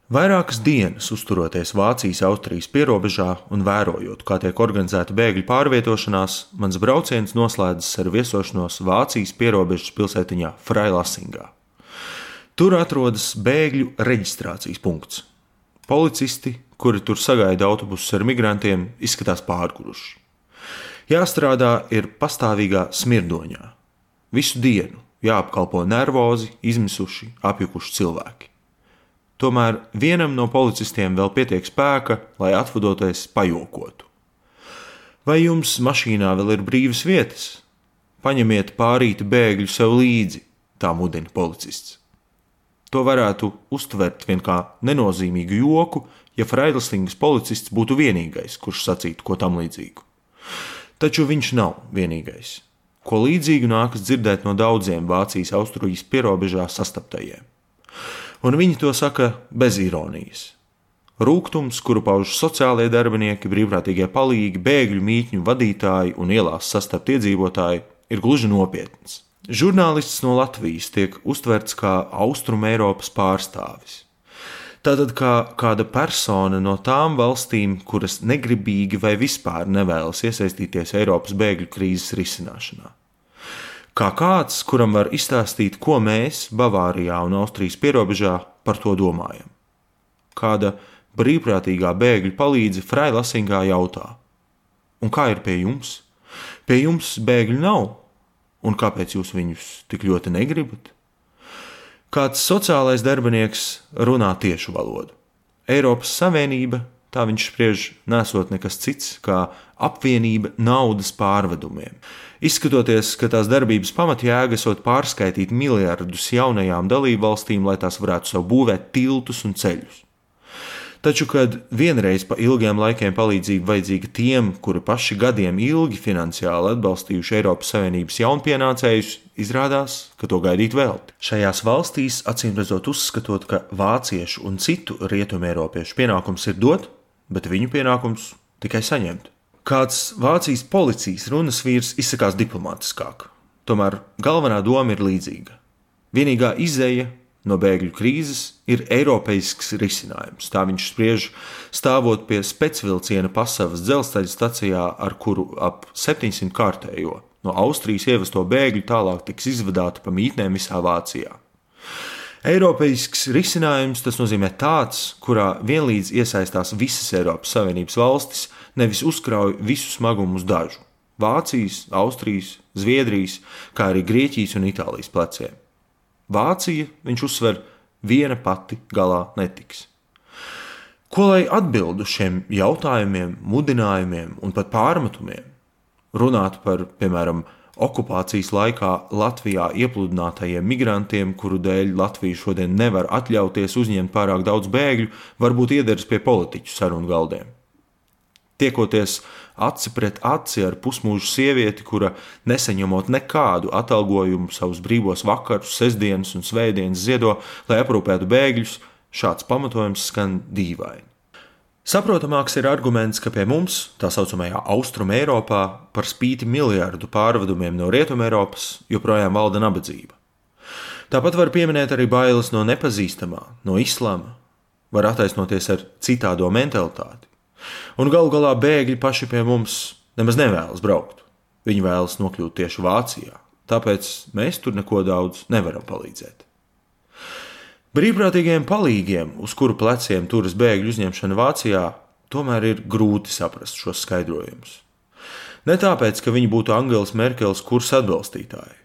Vairākas dienas uzturoties Vācijas-Austrijas pierobežā un vērojot, kā tiek organizēta bēgļu pārvietošanās, mans brauciens noslēdzas ar viesošanos Vācijas pierobežas pilsētiņā Freilassingā. Tur atrodas bēgļu reģistrācijas punkts. Policisti, kuri tur sagaida autobusus ar migrantiem, izskatās pārguruši. Jāstrādā ir pastāvīgā smirdoņā. Visu dienu jāapkalpo nervozi, izmisuši, apjukuši cilvēki. Tomēr vienam no policistiem vēl pietiek spēka, lai atvadoties pajokotu. Vai jums mašīnā vēl ir brīvas vietas? Paņemiet pārīti bēgļu sev līdzi, tā mudina policists. To varētu uztvert vien kā nenozīmīgu joku, ja Freilassingas policists būtu vienīgais, kurš sacītu ko tam līdzīgu. Taču viņš nav vienīgais. Ko līdzīgu nākas dzirdēt no daudziem Vācijas-Austrijas pierobežā sastaptajiem. Un viņi to saka bez ironijas. Rūgtums, kuru pauž sociālie darbinieki, brīvprātīgie palīgi, bēgļu mītņu vadītāji un ielās sastapt iedzīvotāji, ir gluži nopietns. Žurnālists no Latvijas tiek uztverts kā Austrumeiropas pārstāvis. Tātad kā kāda persona no tām valstīm, kuras negribīgi vai vispār nevēlas iesaistīties Eiropas bēgļu krīzes risināšanā. Kā kāds, kuram var izstāstīt, ko mēs Bavārijā un Austrijas pierobežā par to domājam. Kāda brīvprātīgā bēgļu palīdze Freilassingā jautā: un kā ir pie jums? Pie jums bēgļu nav? Un kāpēc jūs viņus tik ļoti negribat? Kāds sociālais darbinieks runā tiešu valodu. Eiropas Savienība, tā viņš spriež, nesot nekas cits kā apvienība naudas pārvedumiem. Izskatoties, ka tās darbības pamatjēga esot pārskaitīt miljardus jaunajām dalībvalstīm, lai tās varētu sev būvēt tiltus un ceļus. Taču, kad vienreiz pa ilgiem laikiem palīdzība vajadzīga tiem, kuri paši gadiem ilgi finansiāli atbalstījuši Eiropas Savienības jaunpienācējus, izrādās, ka to gaidīt velti. Šajās valstīs, acīmredzot uzskatot, ka vāciešu un citu rietumeiropiešu pienākums ir dot, bet viņu pienākums tikai saņemt. Kāds Vācijas policijas runas vīrs izsakās diplomātiskāk, tomēr galvenā doma ir līdzīga. Vienīgā izeja no bēgļu krīzes ir eiropeisks risinājums. Tā viņš spriež, stāvot pie specvilciena Pasavas dzelzceļa stacijā, ar kuru ap 700 kārtējo no Austrijas ievesto bēgļu tālāk tiks izvadāti pa mītnēm visā Vācijā. Eiropeisks risinājums tas nozīmē tāds, kurā vienlīdz iesaistās visas Eiropas Savienības valstis, nevis uzkrauj visu smagumu uz dažu – Vācijas, Austrijas, Zviedrijas, kā arī Grieķijas un Itālijas pleciem. Vācija, viņš uzsver, viena pati galā netiks. Ko lai atbildu šiem jautājumiem, mudinājumiem un pat pārmetumiem? Runāt par, piemēram, okupācijas laikā Latvijā iepludinātajiem migrantiem, kuru dēļ Latvija šodien nevar atļauties uzņemt pārāk daudz bēgļu, varbūt iederas pie politiķu sarunu galdiem. Tiekoties aci pret aci ar pusmūžu sievieti, kura nesaņemot nekādu atalgojumu savus brīvos vakarus, sestdienas un svētdienas ziedo, lai aprūpētu bēgļus, šāds pamatojums skan dīvaini. Saprotamāks ir arguments, ka pie mums, tā saucamajā Austrumeiropā, par spīti miljardu pārvedumiem no Rietumeiropas, joprojām valda nabadzība. Tāpat var pieminēt arī bailes no nepazīstamā, no islama, var attaisnoties ar citādo mentalitāti. Un galu galā bēgļi paši pie mums nemaz nevēlas braukt. Viņi vēlas nokļūt tieši Vācijā, tāpēc mēs tur neko daudz nevaram palīdzēt. Brīvprātīgiem palīgiem, uz kuru pleciem turas bēgļu uzņemšana Vācijā, tomēr ir grūti saprast šos skaidrojumus. Ne tāpēc, ka viņi būtu Angelas Merkeles kursa atbalstītāji.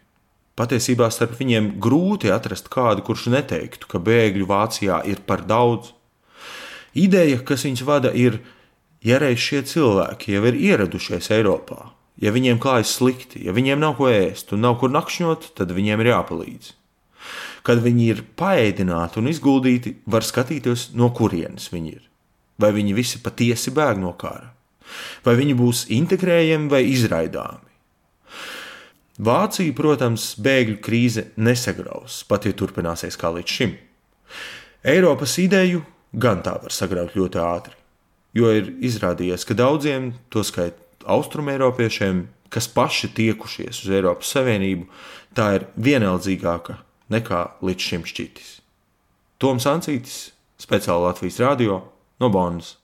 Patiesībā starp viņiem grūti atrast kādu, kurš neteiktu, ka bēgļu Vācijā ir par daudz. Ideja, kas viņus vada, ir: ja reiz šie cilvēki jau ir ieradušies Eiropā, ja viņiem klājas slikti, ja viņiem nav ko ēst un nav kur nakšņot, tad viņiem ir jāpalīdz. Kad viņi ir paēdināti un izguldīti, var skatīties, no kurienes viņi ir. Vai viņi visi patiesi bēg no kara? Vai viņi būs integrējami vai izraidāmi? Vācija, protams, bēgļu krīze nesagraus, pat ja turpināsies kā līdz šim. Eiropas ideju gan tā var sagraut ļoti ātri, jo ir izrādījies, ka daudziem, toskait austrumeiropiešiem, kas paši tiekušies uz Eiropas Savienību, tā ir vienaldzīgāka nekā līdz šim šķitis. Toms Ancītis, speciāli Latvijas radio no Bonnas.